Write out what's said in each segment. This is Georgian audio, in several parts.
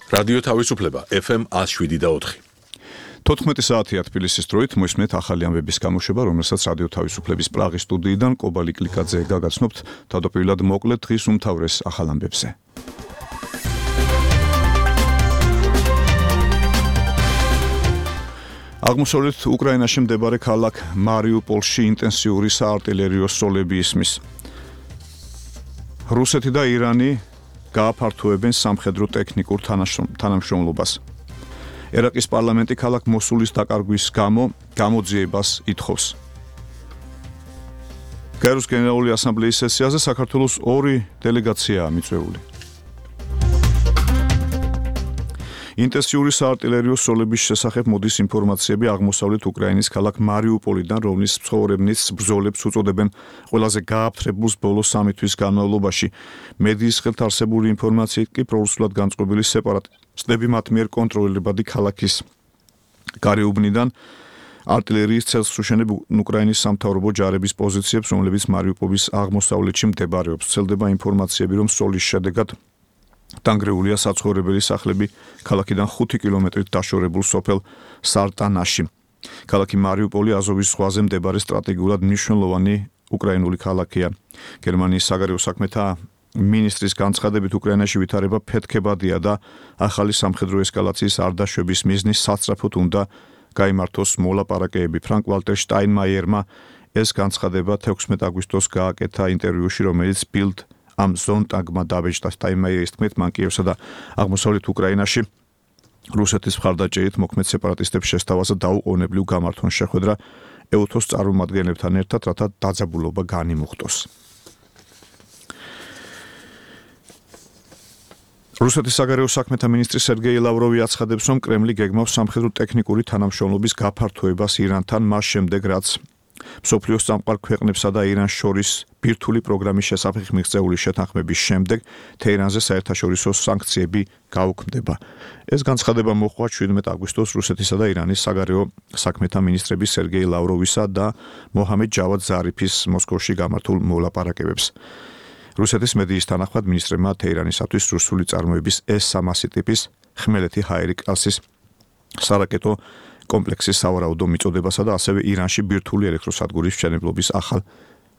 რადიო თავისუფლება FM 107.4. 14 საათია თბილისის დროით მოისმენთ ახალი ამბების გამოშვება, რომელსაც რადიო თავისუფლების პრაღის სტუდიიდან კობალი კლიკაძე გაგაცნობთ თავდაპირველად მოკლედ დღის უმთავრეს ახალ ამბებზე. აღმოსავლეთ უკრაინაში მდებარე ქალაქ მარიუპოლში ინტენსიური საარტილერიო სროლები ისმის. რუსეთი და ირანი გააფართოებენ სამხედრო ტექნიკურ თანამშრომლობას. ერაყის პარლამენტი ქალაქ მოსულის დაკარგვის გამო გამოძიებას ითხოვს. გაეროს გენერალური ასამბლეის სესიაზე საქართველოს 2 დელეგაციაა მიწვეული. ინტენსიური საარტილერიო სროლების შესახებ მოდის ინფორმაციები აღმოსავლეთ უკრაინის ქალაქ მარიუპოლიდან, რომლის მცხოვრებნიც ბრძოლებს უწოდებენ ყველაზე გააფთრებულს ბოლო 3 თვის განმავლობაში. მედიის ხელთ არსებული ინფორმაციით კი პრორუსულად განწყობილი სეპარატისტები მათ მიერ კონტროლირებადი ქალაქის გარეუბნიდან არტილერიის ცელს უშენებ უკრაინის სამთავრობო ჯარების პოზიციებს, რომლებიც მარიუპოლის აღმოსავლეთში მდებარეობს. ვრცელდება ინფორმაციები, რომ სროლის შედეგად დანგრეულია საცხოვრებელი სახლები ქალაქიდან 5 კილომეტრით დაშორებულ სოფელ სარტანაში. ქალაქი მარიუპოლი აზოვის ზღვაზე მდებარე სტრატეგიულად მნიშვნელოვანი უკრაინული ქალაქია. გერმანიის საგარეო საქმეთა მინისტრის განცხადებით უკრაინაში ვითარება ფეთქებადია და ახალი სამხედრო ესკალაციის არ დაშვების მიზნის საცრაფოდ უნდა გაიმართოს მოლაპარაკეები. ფრანკ ვალტერ შტაინმაიერმა ეს განცხადება 16 აგვისტოს გააკეთა ინტერვიუში, რომელიც ბილდ ამ ზონტაგმა დაბეჭდა. შტაინმაიერის თქმით, მან კიევსა და აღმოსავლეთ უკრაინაში რუსეთის მხარდაჭერით მოქმედ სეპარატისტებს შესთავაზა დაუყოვნებლივ გამართონ შეხვედრა ეუთოს წარმომადგენლებთან ერთად, რათა დაძაბულობა განიმუხტოს. რუსეთის საგარეო საქმეთა მინისტრი სერგეი ლავროვი აცხადებს, რომ კრემლი გეგმავს სამხედრო ტექნიკური თანამშრომლობის გაფართოებას ირანთან, მას შემდეგ რაც მსოფლიოს წამყვარ ქვეყნებსა და ირანს შორის ბირთვული პროგრამის შესახებ მიღწეული შეთანხმების შემდეგ თეირანზე საერთაშორისო სანქციები გაუქმდება. ეს განცხადება მოხდა 17 აგვისტოს რუსეთისა და ირანის საგარეო საქმეთა მინისტრების სერგეი ლავროვისა და მოჰამედ ჯავად ზარიფის მოსკოვში გამართულ მოლაპარაკებებს. რუსეთის მედიის თანახმად მინისტრებმა თეირანისათვის რუსული წარმოების S-300 ტიპის ხმელეთი ჰაირიკალსის სარაკეტო კომპლექსის სავარაუდო მიწოდებასა და ასევე ირანში ბირთვული ელექტროსადგურის მშენებლობის ახალ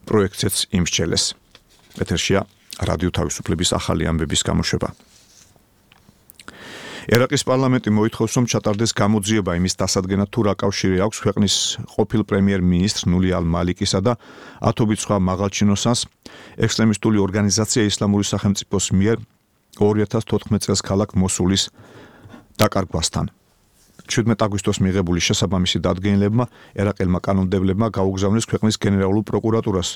პროექტზეც იმსჩელეს. ეთერშია რადიო თავისუფლების ახალი ამბების გამოშვება. ერაყის პარლამენტი მოითხოვს, რომ ჩატარდეს გამოძიება იმის დასადგენად, თუ რა კავშირი აქვს ქვეყნის ყოფილ პრემიერ-მინისტრ ნული ალ-მალიკისა და ათობით სხვა მაღალჩინოსანს ექსტრემისტული ორგანიზაცია ისლამური სახელმწიფოს მიერ 2014 წელს ქალაქ მოსულის დაკარგვასთან. 17 აგვისტოს მიღებული შესაბამისი დადგენილებმა ერაყელმა კანონმდებლებმა გაუგზავნეს ქვეყნის გენერალურ პროკურატურას,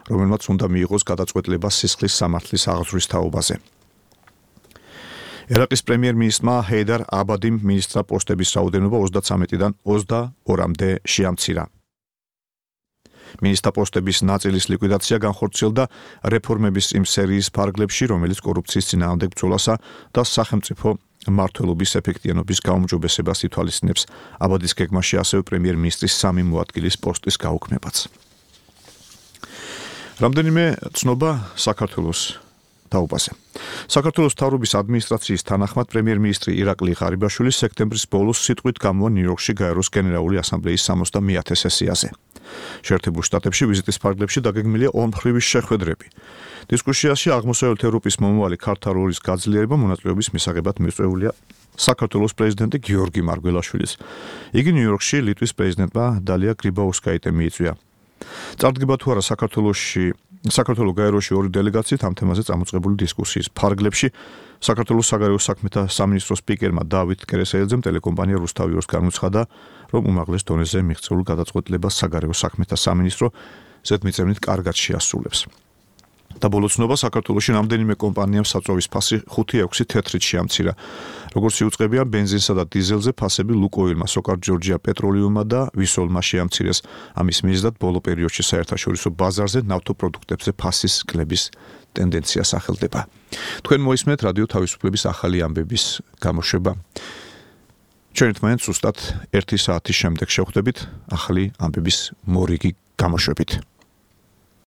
რომელმაც უნდა მიიღოს გადაწყვეტილება სისხლის სამართლის აღძვრის თაობაზე. ერაყის პრემიერ-მინისტრმა ჰეიდარ აბადიმ მინისტრთა პოსტების რაოდენობა 33-დან 22-მდე შეამცირა. მინისტრთა პოსტების ნაწილის ლიკვიდაცია განხორციელდა რეფორმების იმ სერიის ფარგლებში, რომელიც კორუფციის წინააღმდეგ ბრძოლასა და სახელმწიფო მმართველობის ეფექტიანობის გაუმჯობესებას ითვალისწინებს. აბადის გეგმაში ასევე პრემიერ-მინისტრის 3 მოადგილის პოსტის გაუქმებაც. რამდენიმე ცნობა საქართველოს თაობაზე. საქართველოს მთავრობის ადმინისტრაციის თანახმად პრემიერ-მინისტრი ირაკლი ღარიბაშვილი სექტემბრის ბოლოს სიტყვით გამოვა ნიუ-იორკში გაეროს გენერალური ასამბლეის 60-100 სესიაზე. შეერთებულ შტატებში ვიზიტის ფარგლებში დაგეგმილია ორმხრივი შეხვედრები. დისკუსიაში აღმოსავლეთ ევროპის მომავალი ქართულ როლის გაძლიერება მონაწილეობის მისაღებად მიწვეულია საქართველოს პრეზიდენტი გიორგი მარგველაშვილის. იგი ნიუ-იორკში ლიტვის პრეზიდენტმა დალია გრიბაუსკაიტემ მიიწვია. წარდგება თუ არა საქართველოს გაეროში 2 დელეგაციით ამ თემაზე წამოწყებული დისკუსიის ფარგლებში საქართველოს საგარეო საქმეთა სამინისტროს სპიკერმა დავით კერესელიძემ ტელეკომპანია რუსთავიორს განუცხადა, რომ უმაღლეს დონეზე მიღწეულ გადაწყვეტილებას საგარეო საქმეთა სამინისტრო ზედმიწევნით კარგად შეასრულებს. და ბოლო ცნობა, საქართველოში რამდენიმე კომპანიამ საწვავის ფასი 5-6 თეთრით შეამცირა. როგორც იუწყებია, ბენზინსა და დიზელზე ფასები ლუკოილმა, სოკარ ჯორჯია პეტროლიუმმა და ვისოლმა შეამცირეს. ამის მიზნად ბოლო პერიოდში საერთაშორისო ბაზარზე ნავთობპროდუქტებზე ფასის კლების ტენდენცია სახელდება. თქვენ მოისმენთ რადიო თავისუფლების ახალი ამბების გამოშვება. ჩვენ ერთმანეთს ზუსტად 1 საათის შემდეგ შევხვდებით ახალი ამბების მორიგი გამოშვებით.